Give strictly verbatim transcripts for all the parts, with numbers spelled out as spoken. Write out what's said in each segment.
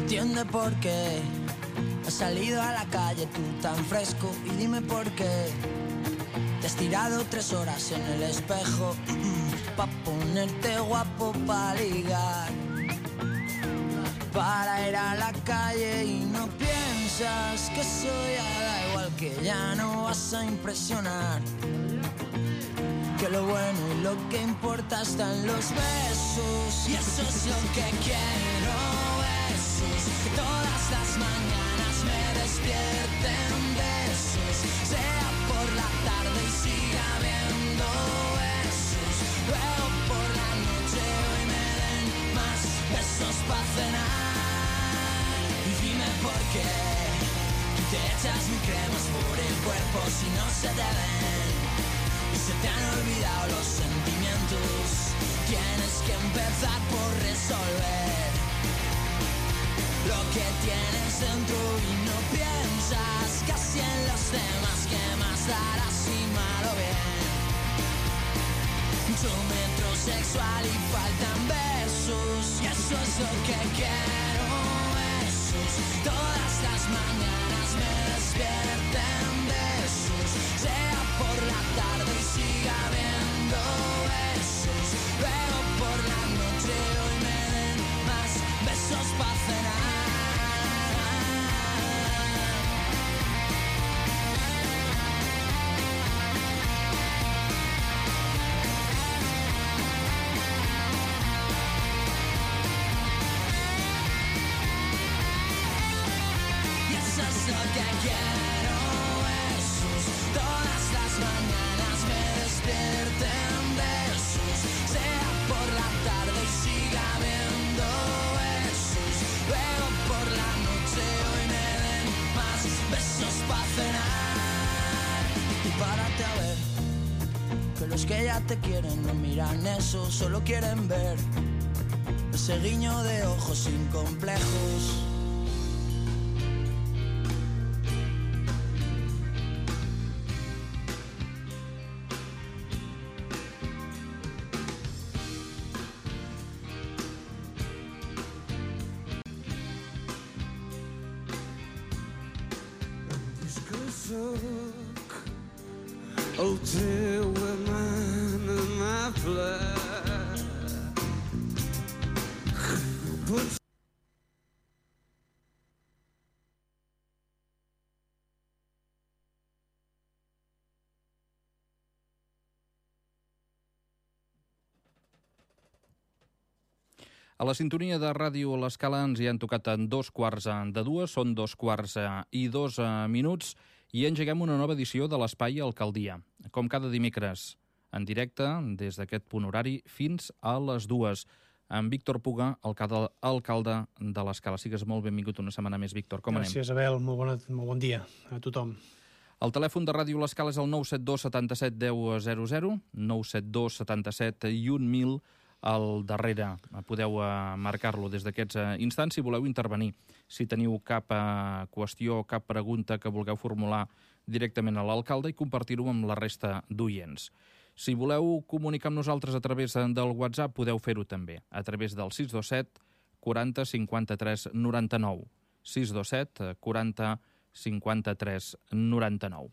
entiende por qué has salido a la calle tú tan fresco y dime por qué te has tirado tres horas en el espejo pa' ponerte guapo, pa' ligar, para ir a la calle y no piensas que eso ya da igual, que ya no vas a impresionar, que lo bueno y lo que importa está en los besos, y eso es lo que quiero, besos, que todas las mañanas me despierten besos, sea por la tarde y siga habiendo besos, luego por la noche hoy me den más besos pa' cenar, y dime por qué te echas mi cremas por el cuerpo si no se te ven, y se te han olvidado los sentimientos, tienes que empezar por resolver lo que tienes dentro y no piensas casi en los demás, que más dará si mal o bien, mucho metrosexual y faltan besos, y eso es lo que quiero, besos, todas las mañanas me despierten besos, sea por la tarde y siga habiendo besos, luego por la noche hoy me den más besos pa' cenar. Y eso es lo que quiero, besos, todas las mañanas me despierten besos, sea por la tarde y siga habiendo besos, luego por la noche hoy me den más besos pa' cenar. Y párate a ver que los que ya te quieren no miran eso, solo quieren ver ese guiño de ojos sin complejos. El teu amant amable pot... A la sintonia de ràdio a l'Escala ens hi han tocat en dos quarts de dues, són dos quarts i dos minuts, i engeguem una nova edició de l'Espai Alcaldia. Com cada dimecres, en directe, des d'aquest punt horari, fins a les dues. En Víctor Puga, alcalde de l'Escala. Sigues molt benvingut una setmana més, Víctor. Com anem? Gràcies, Abel. Molt, bona, molt bon dia a tothom. El telèfon de Ràdio l'Escala és el nou set dos setanta-set deu zero zero, nou set dos setanta-set i un mil al darrere. Podeu marcar-lo des d'aquests instants si voleu intervenir. Si teniu cap qüestió, cap pregunta que vulgueu formular directament a l'alcalde i compartir-ho amb la resta d'oients. Si voleu comunicar amb nosaltres a través del WhatsApp, podeu fer-ho també, a través del sis dos set quaranta cinquanta-tres noranta-nou. sis dos set quaranta cinquanta-tres noranta-nou.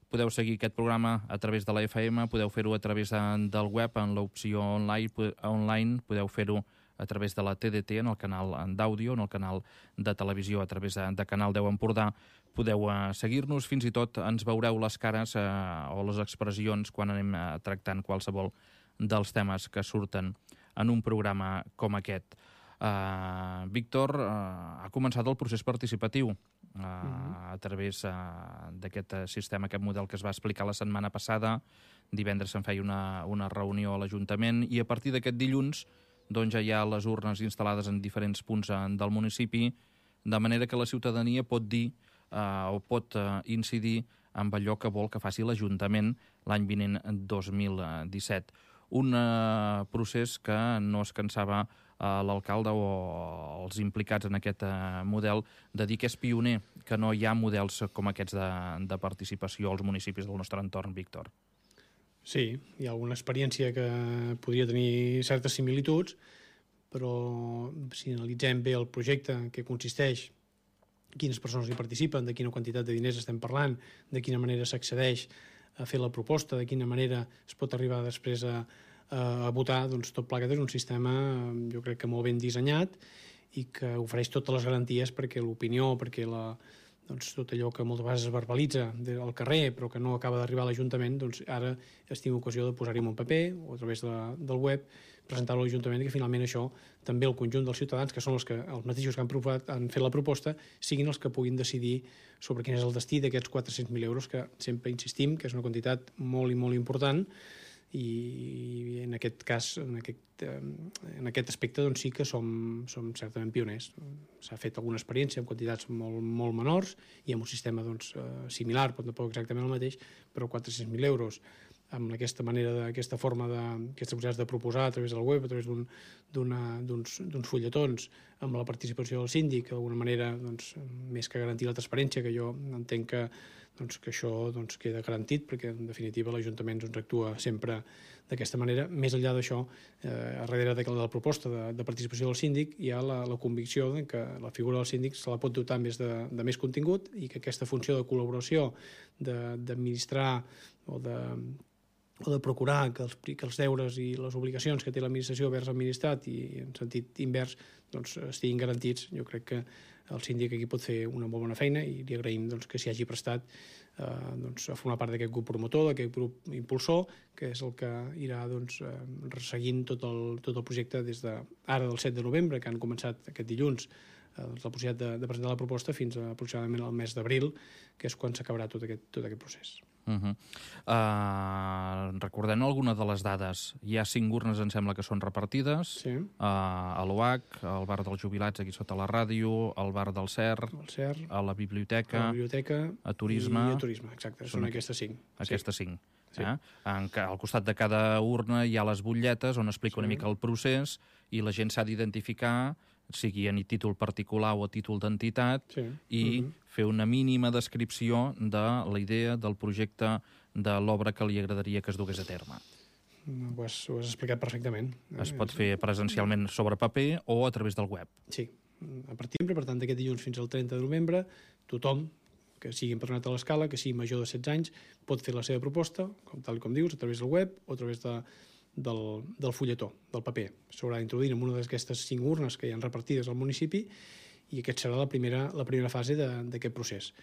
Podeu seguir aquest programa a través de la F M, podeu fer-ho a través del web, en l'opció online, online podeu fer-ho a través de la T D T, en el canal d'àudio, en el canal de televisió, a través de, de Canal deu Empordà. Podeu uh, seguir-nos, fins i tot ens veureu les cares uh, o les expressions quan anem uh, tractant qualsevol dels temes que surten en un programa com aquest. Uh, Víctor, uh, ha començat el procés participatiu uh, uh-huh. a través uh, d'aquest sistema, aquest model que es va explicar la setmana passada. Divendres se'n feia una, una reunió a l'Ajuntament i a partir d'aquest dilluns doncs ja hi ha les urnes instal·lades en diferents punts del municipi, de manera que la ciutadania pot dir uh, o pot uh, incidir amb allò que vol que faci l'Ajuntament l'any vinent dos mil disset. Un uh, procés que no es cansava uh, l'alcalde o els implicats en aquest uh, model de dir que és pioner, que no hi ha models com aquests de, de participació als municipis del nostre entorn, Víctor. Sí, hi ha alguna experiència que podria tenir certes similituds, però si analitzem bé el projecte en què consisteix, quines persones hi participen, de quina quantitat de diners estem parlant, de quina manera s'accedeix a fer la proposta, de quina manera es pot arribar després a, a votar, doncs tot plegat és un sistema, jo crec que molt ben dissenyat i que ofereix totes les garanties perquè l'opinió, perquè la, doncs, tot allò que moltes vegades es verbalitza al carrer però que no acaba d'arribar a l'Ajuntament, doncs ara es tingui ocasió de posar-hi en un paper o a través de, del web, presentar-ho a l'Ajuntament i que finalment això també el conjunt dels ciutadans, que són els, que, els mateixos que han, provat, han fet la proposta, siguin els que puguin decidir sobre quin és el destí d'aquests quatre-cents mil euros, que sempre insistim que és una quantitat molt i molt important i en aquest cas, en aquest, en aquest aspecte, doncs sí que som, som certament pioners. S'ha fet alguna experiència amb quantitats molt, molt menors i amb un sistema doncs, similar, però tampoc exactament el mateix, però quatre-cents mil euros amb aquesta manera, d'aquesta forma, d'aquestes possibilitats de proposar a través del web, a través d'uns un, d'uns fulletons, amb la participació del síndic, d'alguna manera, doncs, més que garantir la transparència, que jo entenc que, doncs, que això doncs, queda garantit, perquè en definitiva l'Ajuntament doncs, actua sempre d'aquesta manera. Més enllà d'això, eh, a darrere de la proposta de, de participació del síndic hi ha la, la convicció de que la figura del síndic se la pot dotar més de, de més contingut i que aquesta funció de col·laboració, d'administrar o de o de procurar que els, que els deures i les obligacions que té l'administració vers l'administrat i en sentit invers doncs, estiguin garantits. Jo crec que el síndic aquí pot fer una molt bona feina i li agraïm doncs, que s'hi hagi prestat eh, doncs, a formar part d'aquest grup promotor, d'aquest grup impulsor, que és el que irà doncs, eh, resseguint tot el, tot el projecte des de ara del set de novembre, que han començat aquest dilluns eh, doncs, la possibilitat de, de presentar la proposta fins a aproximadament el mes d'abril, que és quan s'acabarà tot aquest, tot aquest procés. Uh -huh. uh, recordem alguna de les dades. Hi ha cinc urnes, em sembla que són repartides, sí. uh, a l'O H, al bar dels jubilats aquí sota la ràdio, al bar del Cer, el Cer a la biblioteca, a la biblioteca a turisme, i a turisme, exacte, són, són aquestes cinc. Aquestes sí. cinc. Sí. Eh? En, al costat de cada urna hi ha les butlletes on explica sí. una mica el procés i la gent s'ha d'identificar, sigui a títol particular o a títol d'entitat, sí. i uh-huh. fer una mínima descripció de la idea, del projecte, de l'obra que li agradaria que es dugués a terme. Ho has, ho has explicat perfectament. Es pot fer presencialment sobre paper o a través del web. Sí, a partir de, per tant, d'aquest dilluns fins al trenta de novembre, tothom que sigui empresonat a l'escala, que sigui major de setze anys, pot fer la seva proposta, com tal com dius, a través del web o a través de Del, del fulletó, del paper. S'haurà d'introduir en una d'aquestes cinc urnes que hi ha repartides al municipi i aquesta serà la primera, la primera fase d'aquest procés.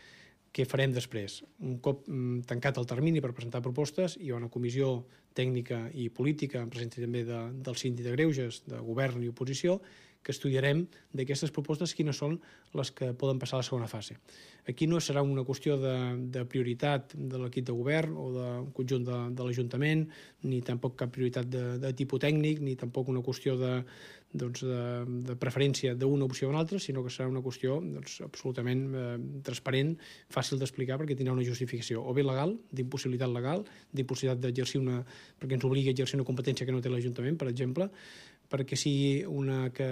Què farem després? Un cop mm, tancat el termini per presentar propostes, hi ha una comissió tècnica i política, en presència també de, del síndic de greuges, de govern i oposició, que estudiarem d'aquestes propostes quines són les que poden passar a la segona fase. Aquí no serà una qüestió de, de prioritat de l'equip de govern o d'un conjunt de, de l'Ajuntament, ni tampoc cap prioritat de, de tipus tècnic, ni tampoc una qüestió de, doncs, de, de preferència d'una opció o una altra, sinó que serà una qüestió doncs, absolutament eh, transparent, fàcil d'explicar perquè tindrà una justificació, o bé legal, d'impossibilitat legal, d'impossibilitat d'exercir una... perquè ens obligui a exercir una competència que no té l'Ajuntament, per exemple, perquè sigui una que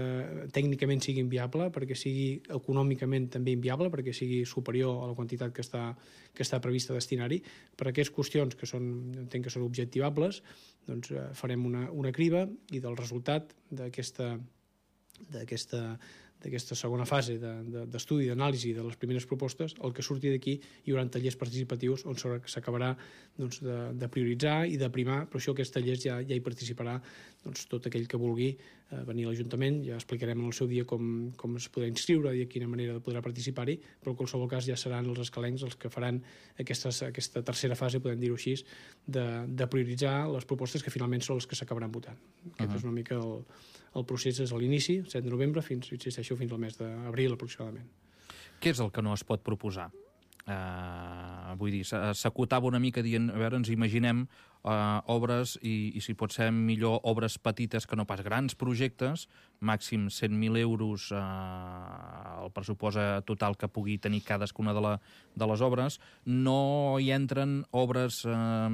tècnicament sigui inviable, perquè sigui econòmicament també inviable, perquè sigui superior a la quantitat que està, que està prevista destinar-hi. Per aquestes qüestions que són, entenc que són objectivables, doncs eh, farem una, una criba i del resultat d'aquesta d'aquesta d'aquesta segona fase d'estudi, de, de, d'anàlisi de les primeres propostes, el que surti d'aquí hi haurà tallers participatius on s'acabarà doncs, de, de prioritzar i de primar, però això aquests tallers ja, ja hi participarà doncs, tot aquell que vulgui eh, venir a l'Ajuntament, ja explicarem en el seu dia com, com es podrà inscriure i de quina manera podrà participar-hi, però en qualsevol cas ja seran els escalencs els que faran aquestes, aquesta tercera fase, podem dir-ho així, de, de prioritzar les propostes que finalment són les que s'acabaran votant. Aquest uh-huh. és una mica el, el procés és a l'inici, set de novembre, fins, insisteixo, fins al mes d'abril aproximadament. Què és el que no es pot proposar? Uh, vull dir, s'acotava una mica dient, a veure, ens imaginem uh, obres i, i si pot ser millor obres petites que no pas grans projectes, màxim cent mil euros uh, el pressupost total que pugui tenir cadascuna de, la, de les obres. No hi entren obres uh,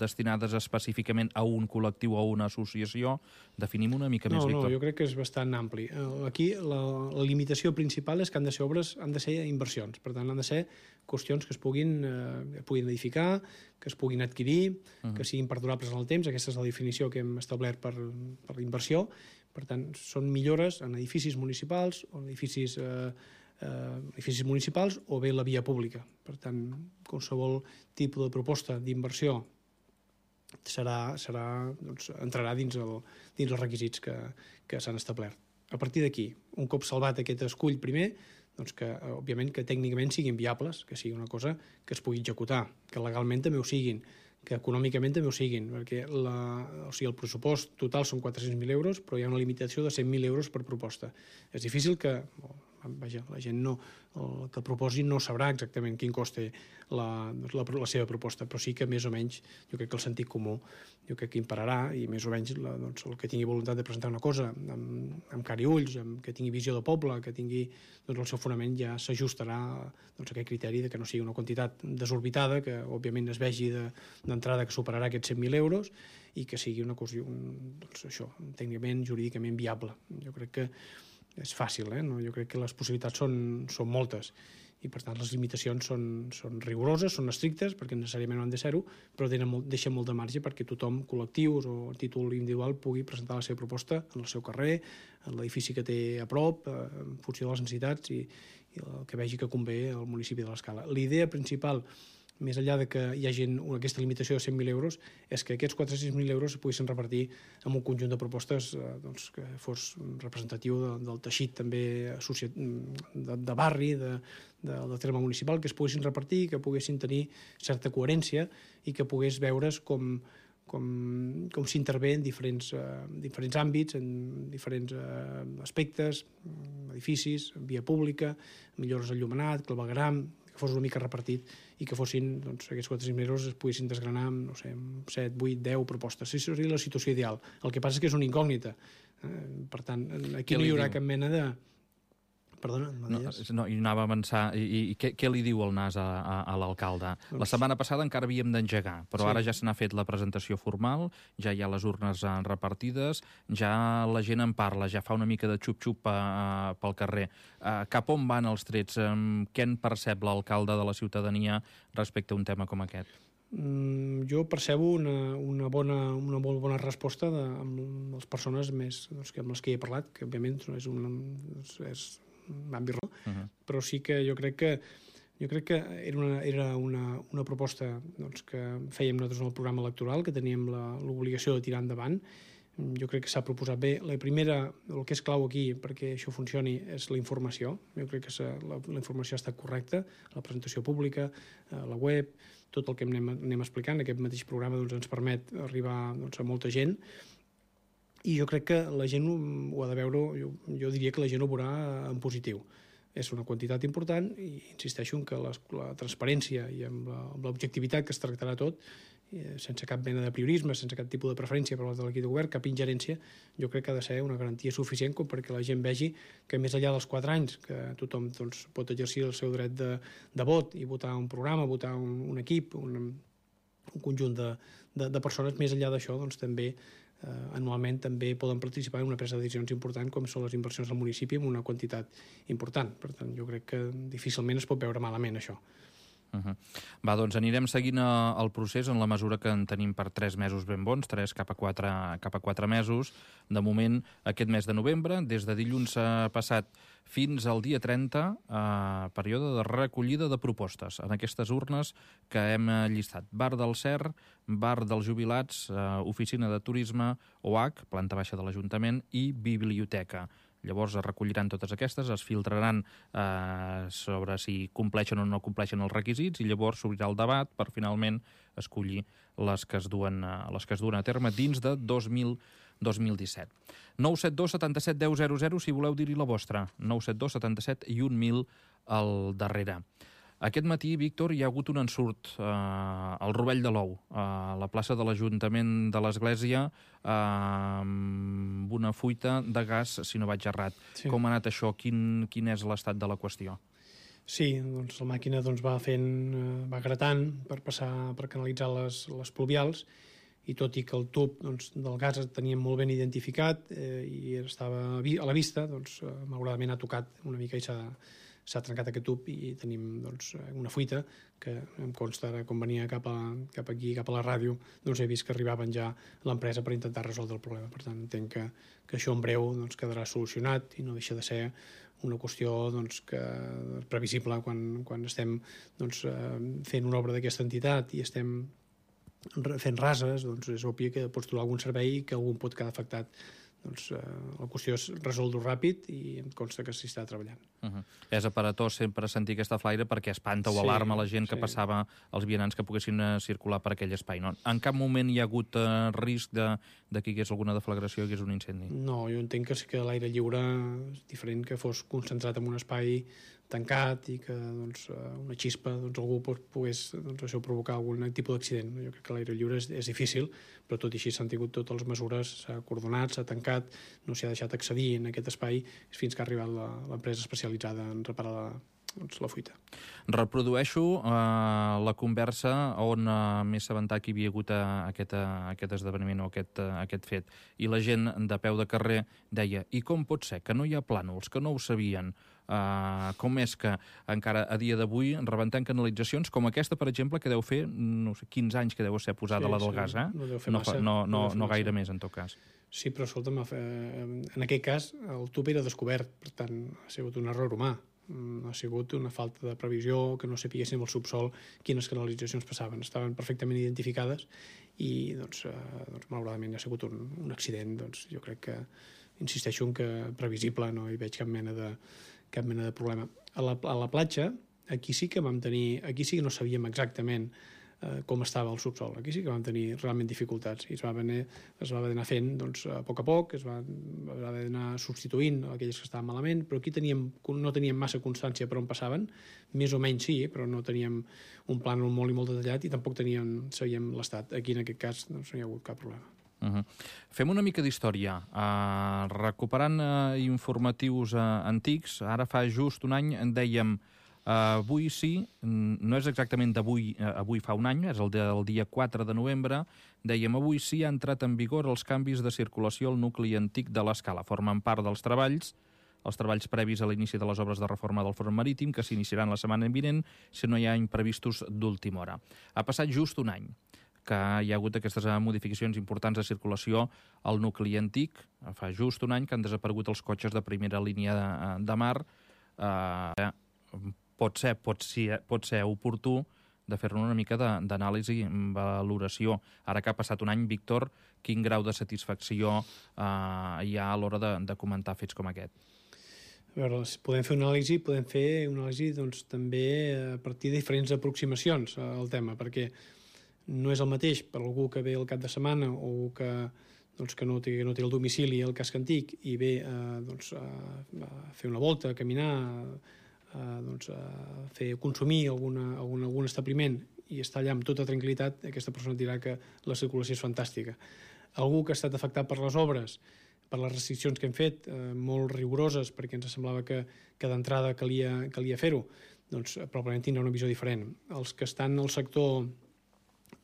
destinades específicament a un col·lectiu o a una associació. Definim una mica no, més, Víctor. No, jo crec que és bastant ampli. Aquí la, la limitació principal és que han de ser obres, han de ser inversions. Per tant, han de ser qüestions que es puguin, eh, puguin edificar, que es puguin adquirir, uh-huh. uh-huh. que siguin perdurables en el temps. Aquesta és la definició que hem establert per, per l'inversió. Per tant, són millores en edificis municipals o en edificis, eh, eh, edificis municipals o bé la via pública. Per tant, qualsevol tipus de proposta d'inversió serà, serà, doncs, entrarà dins, el, dins els requisits que, que s'han establert. A partir d'aquí, un cop salvat aquest escull primer, doncs que, òbviament, que tècnicament siguin viables, que sigui una cosa que es pugui executar, que legalment també ho siguin, que econòmicament també ho siguin, perquè la, o sigui, el pressupost total són quatre-cents mil euros, però hi ha una limitació de cent mil euros per proposta. És difícil que, vaja, la gent no, el que proposi no sabrà exactament quin cost té la, la, la seva proposta, però sí que més o menys, jo crec que el sentit comú, jo crec que impararà, i més o menys la, doncs, el que tingui voluntat de presentar una cosa amb, amb cara i ulls, amb, que tingui visió de poble, que tingui doncs, el seu fonament, ja s'ajustarà doncs, a aquest criteri de que no sigui una quantitat desorbitada, que òbviament es vegi d'entrada que superarà aquests cent mil euros i que sigui una cosa, un, doncs, això, tècnicament, jurídicament viable. Jo crec que és fàcil, eh? No? Jo crec que les possibilitats són, són moltes i, per tant, les limitacions són, són rigoroses, són estrictes, perquè necessàriament no han de ser-ho, però molt, deixen molt de marge perquè tothom, col·lectius o a títol individual, pugui presentar la seva proposta en el seu carrer, en l'edifici que té a prop, en funció de les necessitats i, i el que vegi que convé al municipi de l'Escala. L'idea principal, més enllà de que hi hagi aquesta limitació de cent mil euros, és que aquests quatre-cents mil euros es poguessin repartir en un conjunt de propostes eh, doncs, que fos representatiu de, del teixit també de, de barri, de, de, del terme municipal, que es poguessin repartir, que poguessin tenir certa coherència i que pogués veure's com, com, com s'intervé en diferents, eh, diferents àmbits, en diferents eh, aspectes, edificis, via pública, millores enllumenat, clavegueram, que fos una mica repartit i que fossin, doncs, aquests quatre-cents mil euros es poguessin desgranar amb, no sé, amb set, vuit, deu propostes. Això seria la situació ideal. El que passa és que és una incògnita. Eh, per tant, aquí no hi haurà cap mena de... Perdona, no, no, i anava a avançar. I, i, i què, què li diu el N A S a, a, a l'alcalde? Doncs... La setmana passada encara havíem d'engegar, però sí. Ara ja se n'ha fet la presentació formal, ja hi ha les urnes repartides, ja la gent en parla, ja fa una mica de xup-xup uh, pel carrer. Uh, cap on van els trets? Um, què en percep l'alcalde de la ciutadania respecte a un tema com aquest? Mm, jo percebo una, una, bona, una molt bona resposta de, amb les persones més, doncs, amb les que he parlat, que òbviament és un... És, àmbit, no? Uh-huh. Però sí que jo crec que jo crec que era una, era una, una proposta doncs, que fèiem nosaltres en el programa electoral, que teníem l'obligació de tirar endavant. Jo crec que s'ha proposat bé. La primera, el que és clau aquí perquè això funcioni és la informació. Jo crec que la, la informació ha estat correcta, la presentació pública, la web, tot el que anem, anem explicant. Aquest mateix programa doncs, ens permet arribar doncs, a molta gent. I jo crec que la gent ho ha de veure, jo, jo diria que la gent ho veurà en positiu. És una quantitat important i insisteixo en que les, la transparència i amb l'objectivitat que es tractarà tot, sense cap mena de priorisme, sense cap tipus de preferència per part de l'equip de govern, cap ingerència, jo crec que ha de ser una garantia suficient com perquè la gent vegi que més enllà dels quatre anys que tothom doncs, pot exercir el seu dret de, de vot i votar un programa, votar un, un equip, un, un conjunt de, de, de persones, més enllà d'això doncs, també Uh, anualment també poden participar en una presa de decisions important com són les inversions al municipi amb una quantitat important. Per tant, jo crec que difícilment es pot veure malament això. Uh-huh. Va, doncs anirem seguint el procés en la mesura que en tenim per tres mesos ben bons, tres cap a quatre, cap a quatre mesos. De moment, aquest mes de novembre, des de dilluns passat fins al dia trenta, eh, període de recollida de propostes en aquestes urnes que hem llistat. Bar del Cer, Bar dels Jubilats, eh, Oficina de Turisme, O H, planta baixa de l'Ajuntament, i Biblioteca. Llavors es recolliran totes aquestes, es filtraran eh, sobre si compleixen o no compleixen els requisits i llavors s'obrirà el debat per finalment escollir les que es duen, les que es duen a terme dins de dos mil disset. nou set dos setanta-set deu zero zero si voleu dir-hi la vostra. nou set dos setanta-set i un mil al darrere. Aquest matí, Víctor, hi ha hagut un ensurt eh, al Rovell de l'Ou, a la plaça de l'Ajuntament de l'Església, eh, amb una fuita de gas, si no vaig errat. Sí. Com ha anat això? Quin, quin és l'estat de la qüestió? Sí, doncs la màquina doncs, va fent, va gratant per passar per canalitzar les, les pluvials, i tot i que el tub doncs, del gas el teníem molt ben identificat eh, i estava a la vista, doncs, malauradament ha tocat una mica i s'ha s'ha trencat aquest tub i tenim doncs, una fuita que em consta ara, quan venia cap, a, cap aquí, cap a la ràdio, doncs he vist que arribaven ja a l'empresa per intentar resoldre el problema. Per tant, entenc que, que això en breu doncs, quedarà solucionat i no deixa de ser una qüestió doncs, que previsible quan, quan estem doncs, fent una obra d'aquesta entitat i estem fent rases, doncs és obvi que pots trobar algun servei que algú pot quedar afectat. Doncs eh, la qüestió és resoldre ràpid i em consta que s'hi està treballant. Uh -huh. És aparatós sempre sentir aquesta flaire perquè espanta o sí, alarma la gent que sí. passava, els vianants que poguessin uh, circular per aquell espai. No? En cap moment hi ha hagut uh, risc de, de que hi hagués alguna deflagració, hi hagués un incendi? No, jo entenc que sí que l'aire lliure és diferent que fos concentrat en un espai tancat i que doncs, una xispa doncs, algú pogués doncs, això provocar algun tipus d'accident. Jo crec que l'aire lliure és, és difícil, però tot i així s'han tingut totes les mesures, s'ha acordonat, s'ha tancat, no s'hi ha deixat accedir en aquest espai fins que ha arribat l'empresa especialitzada en reparar la, doncs, la fuita. Reprodueixo eh, la conversa on eh, m'he assabentat que hi havia hagut eh, aquest, eh, aquest esdeveniment o aquest, eh, aquest fet. I la gent de peu de carrer deia: i com pot ser que no hi ha plànols, que no ho sabien? Uh, com és que encara a dia d'avui rebentem canalitzacions com aquesta, per exemple, que deu fer no sé, quinze anys que deu ser posada sí, la del sí, gas, eh? No deu fer no, massa. No, no, no, no gaire massa. més, en tot cas. Sí, però escolta'm, en aquest cas el tub era descobert, per tant ha sigut un error humà, ha sigut una falta de previsió, que no sapiguéssim al subsol quines canalitzacions passaven, estaven perfectament identificades i doncs, eh, doncs malauradament ha sigut un, un accident, doncs jo crec que insisteixo en que previsible, no hi veig cap mena de cap mena de problema. A la, a la platja, aquí sí que vam tenir, aquí sí que no sabíem exactament eh, com estava el subsol, aquí sí que vam tenir realment dificultats i es va haver, es va haver d'anar fent doncs, a poc a poc, es va, es va haver d'anar substituint aquelles que estaven malament, però aquí teníem, no teníem massa constància per on passaven, més o menys sí, però no teníem un plànol molt i molt detallat i tampoc teníem, sabíem l'estat. Aquí en aquest cas doncs, no hi ha hagut cap problema. Uh -huh. Fem una mica d'història. Uh, recuperant uh, informatius uh, antics, ara fa just un any en dèiem uh, avui sí, no és exactament d'avui, uh, avui fa un any, és el del dia quatre de novembre, dèiem avui sí ha entrat en vigor els canvis de circulació al nucli antic de l'Escala. Formen part dels treballs els treballs previs a l'inici de les obres de reforma del front marítim, que s'iniciaran la setmana vinent si no hi ha imprevistos d'última hora. Ha passat just un any que hi ha hagut aquestes modificacions importants de circulació al nucli antic. Fa just un any que han desaparegut els cotxes de primera línia de, de mar. Eh, pot ser, pot ser, pot ser oportú de fer-ne una mica d'anàlisi, valoració. Ara que ha passat un any, Víctor, quin grau de satisfacció eh, hi ha a l'hora de, de comentar fets com aquest? A veure, podem fer una anàlisi, podem fer una anàlisi doncs, també a partir de diferents aproximacions al tema, perquè no és el mateix per algú que ve el cap de setmana o que, doncs, que no, té, no té el domicili al casc antic i ve eh, doncs, a, a fer una volta, a caminar, a, doncs, a fer consumir alguna, algun, algun establiment i està allà amb tota tranquil·litat, aquesta persona dirà que la circulació és fantàstica. Algú que ha estat afectat per les obres, per les restriccions que hem fet, eh, molt rigoroses, perquè ens semblava que, que d'entrada calia, calia fer-ho, doncs probablement tindrà una visió diferent. Els que estan al sector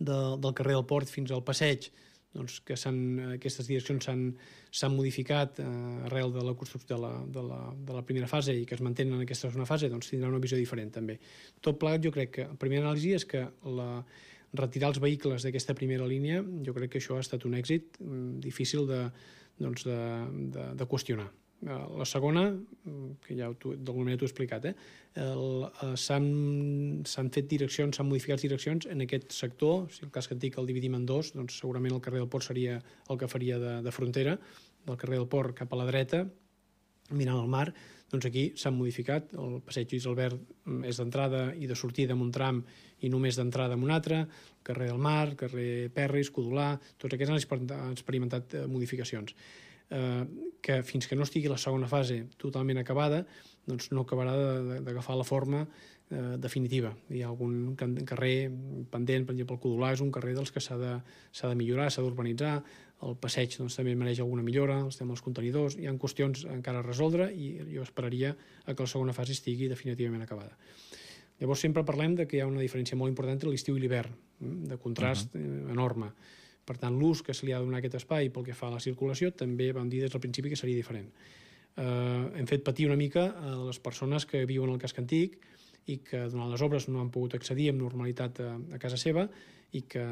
de, del carrer del Port fins al passeig, doncs que aquestes direccions s'han modificat eh, arrel de la construcció de la, de, la, de la primera fase i que es mantenen en aquesta segona fase, doncs tindrà una visió diferent també. Tot plegat, jo crec que la primera anàlisi és que la, retirar els vehicles d'aquesta primera línia, jo crec que això ha estat un èxit difícil de, doncs de, de, de qüestionar. La segona, que ja d'alguna manera t'ho he explicat, eh? s'han fet direccions, s'han modificat direccions en aquest sector. Si el casc antic el dividim en dos, doncs segurament el carrer del Port seria el que faria de, de frontera, del carrer del Port cap a la dreta, mirant al mar. Doncs aquí s'han modificat, el passeig Lluís Albert és d'entrada i de sortida en un tram i només d'entrada en un altre, el carrer del Mar, carrer Perris, Codolà, tots aquests han experimentat modificacions. Eh, que fins que no estigui la segona fase totalment acabada, doncs no acabarà d'agafar la forma eh, definitiva. Hi ha algun carrer pendent, per exemple el Codolà és un carrer dels que s'ha de, s'ha de millorar, s'ha d'urbanitzar, el passeig doncs, també mereix alguna millora, els temes dels contenidors, hi ha qüestions encara a resoldre i jo esperaria que la segona fase estigui definitivament acabada. Llavors sempre parlem de que hi ha una diferència molt important entre l'estiu i l'hivern, de contrast uh-huh. enorme. Per tant, l'ús que se li ha de donar a aquest espai pel que fa a la circulació també vam dir des del principi que seria diferent. eh, hem fet patir una mica a les persones que viuen al casc antic i que durant les obres no han pogut accedir amb normalitat a, a casa seva i que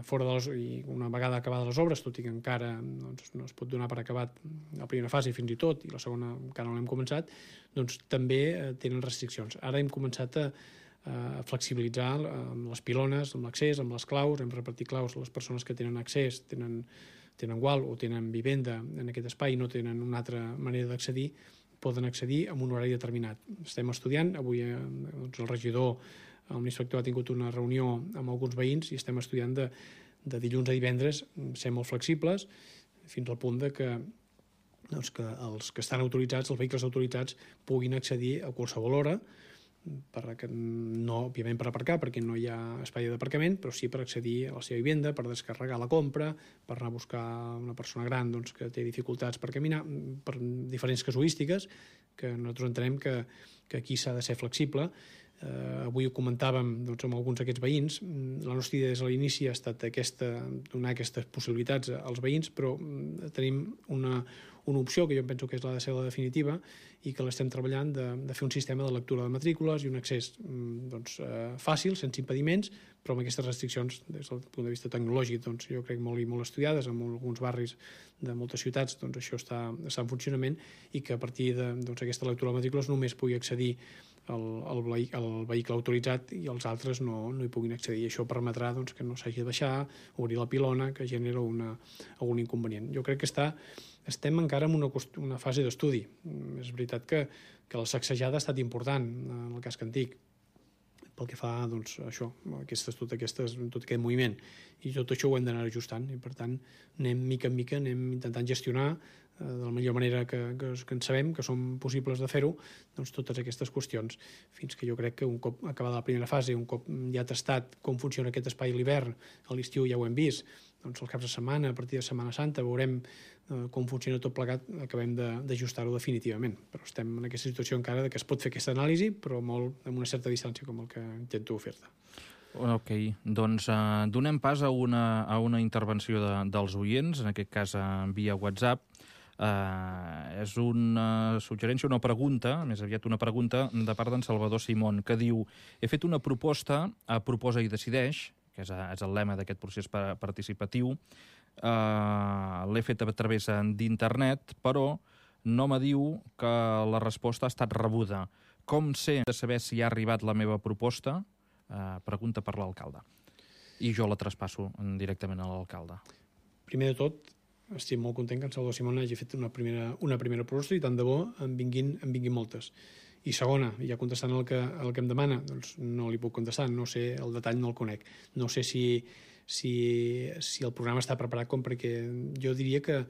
fora de les, i una vegada acabades les obres, tot i que encara doncs, no es pot donar per acabat la primera fase fins i tot, i la segona encara no l'hem començat, doncs també eh, tenen restriccions. Ara hem començat a a flexibilitzar amb les pilones, amb l'accés, amb les claus, hem repartit claus a les persones que tenen accés, tenen, tenen gual o tenen vivenda en aquest espai i no tenen una altra manera d'accedir, poden accedir amb un horari determinat. Estem estudiant, avui eh, doncs el regidor, el inspector ha tingut una reunió amb alguns veïns i estem estudiant de, de dilluns a divendres ser molt flexibles fins al punt de que, doncs, que els que estan autoritzats, els vehicles autoritzats, puguin accedir a qualsevol hora, per, no òbviament per aparcar perquè no hi ha espai d'aparcament, però sí per accedir a la seva vivenda, per descarregar la compra, per anar a buscar una persona gran doncs, que té dificultats per caminar, per diferents casuístiques que nosaltres entenem que, que aquí s'ha de ser flexible. Eh, avui ho comentàvem doncs, amb alguns d'aquests veïns. La nostra idea des de l'inici ha estat aquesta, donar aquestes possibilitats als veïns, però tenim una, una opció que jo penso que és la de ser la definitiva i que l'estem treballant de, de fer un sistema de lectura de matrícules i un accés doncs, eh, fàcil, sense impediments, però amb aquestes restriccions des del punt de vista tecnològic doncs, jo crec molt i molt estudiades en alguns barris de moltes ciutats, doncs això està, està en funcionament i que a partir d'aquesta doncs, lectura de matrícules només pugui accedir el, el, vehicle, el vehicle autoritzat i els altres no, no hi puguin accedir. Això permetrà doncs, que no s'hagi de baixar, obrir la pilona, que genera una, algun inconvenient. Jo crec que està, estem encara en una, una fase d'estudi. És veritat que, que la sacsejada ha estat important en el casc antic, pel que fa doncs, a això, aquestes, tot, aquestes, tot aquest moviment. I tot això ho hem d'anar ajustant i, per tant, anem mica en mica, anem intentant gestionar eh, de la millor manera que, que, que en sabem, que són possibles de fer-ho, doncs totes aquestes qüestions, fins que jo crec que un cop acabada la primera fase, un cop ja tastat com funciona aquest espai a l'hivern, a l'estiu ja ho hem vist, doncs els caps de setmana, a partir de Setmana Santa, veurem eh, com funciona tot plegat, acabem d'ajustar-ho definitivament. Però estem en aquesta situació encara de que es pot fer aquesta anàlisi, però molt amb una certa distància, com el que intento fer-te. Ok, doncs uh, donem pas a una, a una intervenció de, dels oients, en aquest cas uh, via WhatsApp. Uh, és una suggerència, una pregunta, més aviat una pregunta, de part d'en Salvador Simón, que diu: he fet una proposta a Proposa i Decideix, que és, és el lema d'aquest procés participatiu, uh, l'he fet a través d'internet, però no me diu que la resposta ha estat rebuda. Com sé de saber si ha arribat la meva proposta? Uh, pregunta per l'alcalde. I jo la traspasso directament a l'alcalde. Primer de tot, estic molt content que en Salvador Simón hagi fet una primera, una primera proposta i tant de bo en vinguin, en vinguin moltes. I segona, ja contestant el que, el que em demana, doncs no li puc contestar, no sé, el detall no el conec. No sé si, si, si el programa està preparat com perquè jo diria que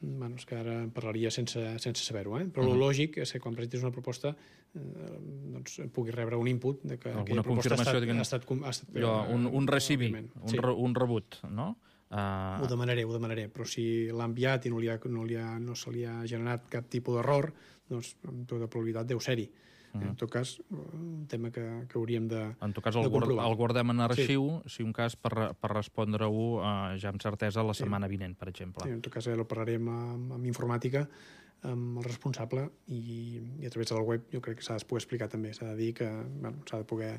bueno, és que ara parlaria sense, sense saber-ho, eh? Però uh-huh. el lògic és que quan presentis una proposta eh, doncs pugui rebre un input de que aquella proposta ha estat, ha estat, ha estat jo, un, un recibi, un, sí. re, un rebut, no? Uh... Ho demanaré, ho demanaré, però si l'ha enviat i no, li ha, no, li ha, no se li ha generat cap tipus d'error, doncs amb tota probabilitat deu ser-hi. Uh-huh. En tot cas, un tema que, que hauríem de En tot cas, el, guard, el guardem en arxiu, sí. Si un cas, per, per respondre-ho uh, ja amb certesa la setmana sí. vinent, per exemple. Sí, en tot cas, ja ho parlarem amb, amb informàtica, amb el responsable, i, i a través del web jo crec que s'ha de poder explicar també. S'ha de dir que bueno, s'ha de poder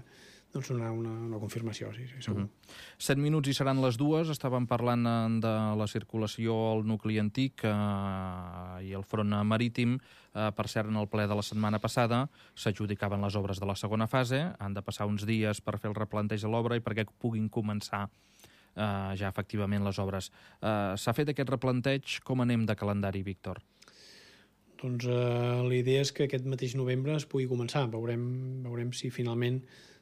doncs, donar una, una confirmació, sí, sí, segur. Uh-huh. Set minuts i seran les dues. Estàvem parlant de la circulació al nucli antic eh, i el front marítim. Eh, per cert, en el ple de la setmana passada s'adjudicaven les obres de la segona fase. Han de passar uns dies per fer el replanteig de l'obra i perquè puguin començar eh, ja efectivament les obres. Eh, S'ha fet aquest replanteig. Com anem de calendari, Víctor? Doncs eh, la idea és que aquest mateix novembre es pugui començar. Veurem, veurem si finalment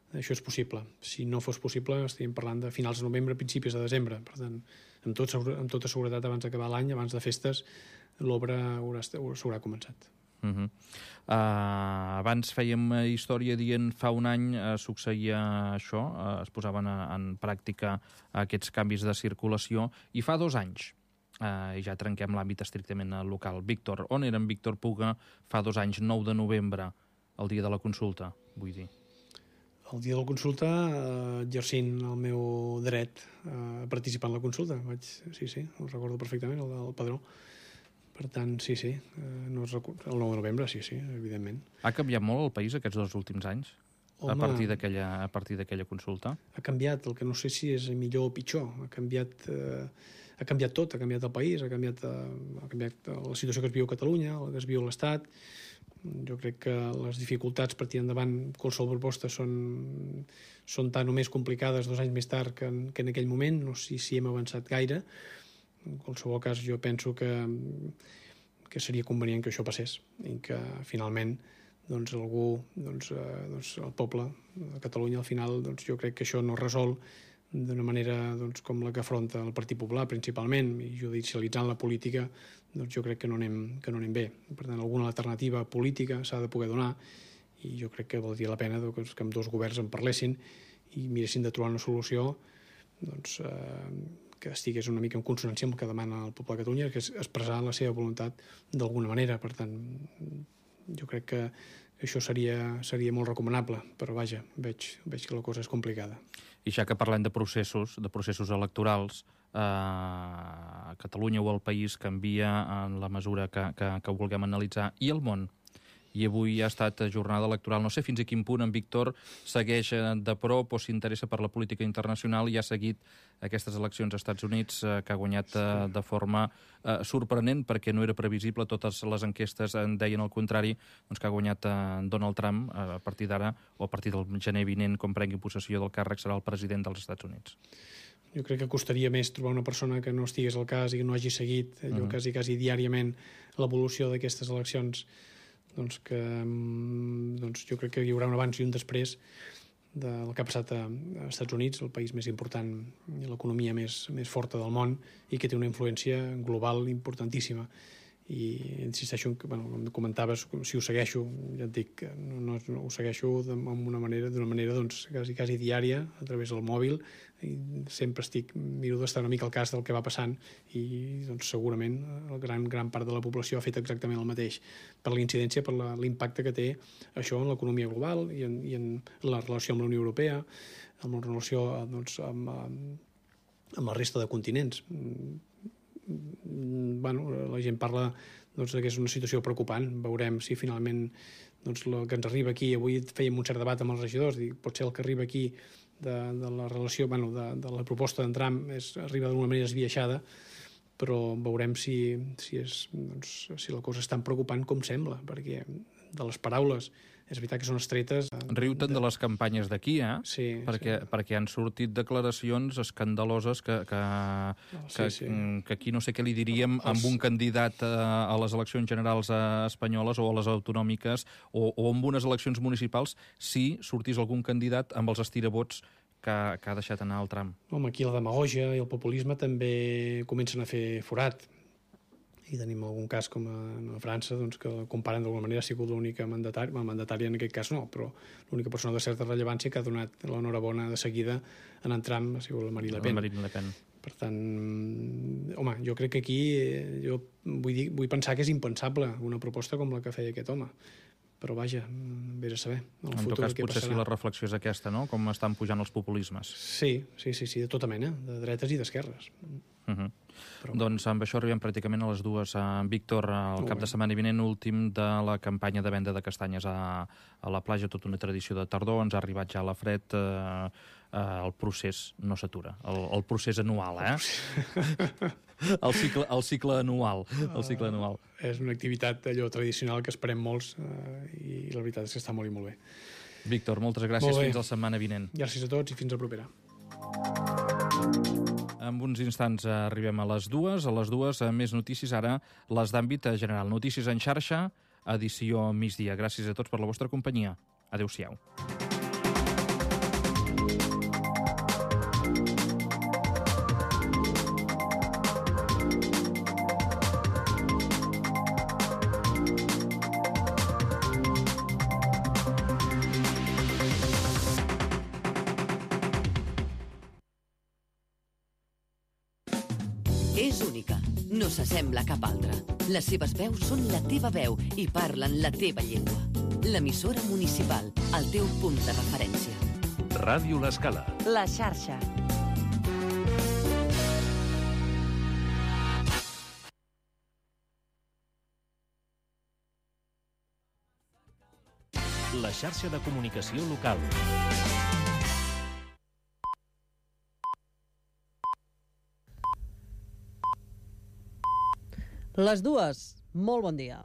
això és possible. Si no fos possible, estaríem parlant de finals de novembre, principis de desembre. Per tant, amb, tot, amb tota seguretat, abans d'acabar l'any, abans de festes, l'obra s'haurà començat. Uh -huh. uh, abans fèiem història dient fa un any uh, succeïa això, uh, es posaven a, en pràctica aquests canvis de circulació, i fa dos anys, uh, i ja trenquem l'àmbit estrictament local. Víctor, on era en Víctor Puga fa dos anys, nou de novembre, el dia de la consulta, vull dir? El dia de la consulta, eh, exercint el meu dret a participar en la consulta. Vaig, sí, sí, ho recordo perfectament, el del padró. Per tant, sí, sí, no es recu... el nou de novembre, sí, sí, evidentment. Ha canviat molt el país aquests dos últims anys? Home, a partir d'aquella a partir d'aquella consulta? Ha canviat, el que no sé si és millor o pitjor. Ha canviat, eh, ha canviat tot, ha canviat el país, ha canviat, eh, ha canviat la situació que es viu a Catalunya, la que es viu a l'Estat. Jo crec que les dificultats per tirar endavant qualsevol proposta són, són tan o més complicades dos anys més tard que en, que en aquell moment. No sé si hem avançat gaire. En qualsevol cas, jo penso que, que seria convenient que això passés i que finalment doncs algú, doncs, eh, doncs el poble de Catalunya al final, doncs jo crec que això no es resol d'una manera doncs, com la que afronta el Partit Popular principalment, i judicialitzant la política, doncs jo crec que no anem, que no anem bé. Per tant, alguna alternativa política s'ha de poder donar i jo crec que valdria la pena doncs, que amb dos governs en parlessin i miressin de trobar una solució doncs, eh, que estigués una mica en consonància amb el que demana el poble de Catalunya, que és expressar la seva voluntat d'alguna manera. Per tant, jo crec que això seria, seria molt recomanable, però vaja, veig, veig que la cosa és complicada. I ja que parlem de processos, de processos electorals, eh, Catalunya o el país canvia en la mesura que, que, que vulguem analitzar, i el món? I avui ha estat jornada electoral. No sé fins a quin punt en Víctor segueix de prop o s'interessa per la política internacional i ha seguit aquestes eleccions als Estats Units, eh, que ha guanyat eh, de forma eh, sorprenent, perquè no era previsible, totes les enquestes en deien el contrari, doncs que ha guanyat eh, Donald Trump. Eh, a partir d'ara, o a partir del gener vinent, quan prengui possessió del càrrec, serà el president dels Estats Units. Jo crec que costaria més trobar una persona que no estigués al cas i que no hagi seguit allò uh-huh. quasi, quasi diàriament l'evolució d'aquestes eleccions. Doncs que doncs jo crec que hi haurà un abans i un després del que ha passat a, als Estats Units, el país més important i l'economia més, més forta del món i que té una influència global importantíssima. I insisteixo, bueno, com comentaves, si ho segueixo, ja et dic que no, no, no ho segueixo d'una manera, d'una manera doncs, quasi, quasi diària, a través del mòbil, i sempre estic, miro d'estar una mica al cas del que va passant i doncs, segurament la gran, gran part de la població ha fet exactament el mateix per la incidència, per l'impacte que té això en l'economia global i en, i en la relació amb la Unió Europea, amb la relació doncs, amb, amb la resta de continents. Bueno, la gent parla doncs, que és una situació preocupant. Veurem si finalment doncs, el que ens arriba aquí, avui fèiem un cert debat amb els regidors, dic, potser el que arriba aquí de, de la relació, bueno, de, de la proposta d'en Trump és, arriba d'alguna manera esbiaixada, però veurem si, si, és, doncs, si la cosa és tan preocupant com sembla, perquè de les paraules és veritat que són estretes. Riu-te'n de... de les campanyes d'aquí, eh? Sí, perquè, sí. perquè han sortit declaracions escandaloses que, que, oh, sí, que, sí. que aquí no sé què li diríem Els... amb un candidat a, a les eleccions generals espanyoles o a les autonòmiques o, o amb unes eleccions municipals si sortís algun candidat amb els estirabots que, que ha deixat anar el Trump. Home, aquí la demagògia i el populisme també comencen a fer forat. I tenim algun cas com a, a França, doncs, que comparen d'alguna manera ha sigut l'única mandatària, bueno, mandatària en aquest cas no, però l'única persona de certa rellevància que ha donat l'enhorabona de seguida en en Trump ha sigut la Marine Le Pen. La Marine Le Pen. Per tant, home, jo crec que aquí jo vull, dir, vull pensar que és impensable una proposta com la que feia aquest home. Però vaja, vés a saber. En tot cas, potser sí la reflexió és aquesta, no? Com estan pujant els populismes. Sí, sí, sí, sí, de tota mena, de dretes i d'esquerres. Uh-huh. Però... Doncs amb això arribem pràcticament a les dues. Víctor, el cap de setmana vinent últim de la campanya de venda de castanyes a, a la platja, tota una tradició de tardor, ens ha arribat ja la fred, eh, eh, el procés no s'atura, el, el procés anual, eh? el, cicle, el cicle anual, el cicle anual. Uh, és una activitat allò tradicional que esperem molts uh, i la veritat és que està molt i molt bé. Víctor, moltes gràcies, molt fins la setmana vinent. Gràcies a tots i fins la propera. En uns instants arribem a les dues. A les dues, més notícies, ara les d'àmbit general. Notícies en xarxa, edició migdia. Gràcies a tots per la vostra companyia. Adéu-siau. És única, no s'assembla a cap altra. Les seves veus són la teva veu i parlen la teva llengua. L'emissora municipal, el teu punt de referència. Ràdio L'Escala. La xarxa. la xarxa de comunicació local. Les dues, molt bon dia.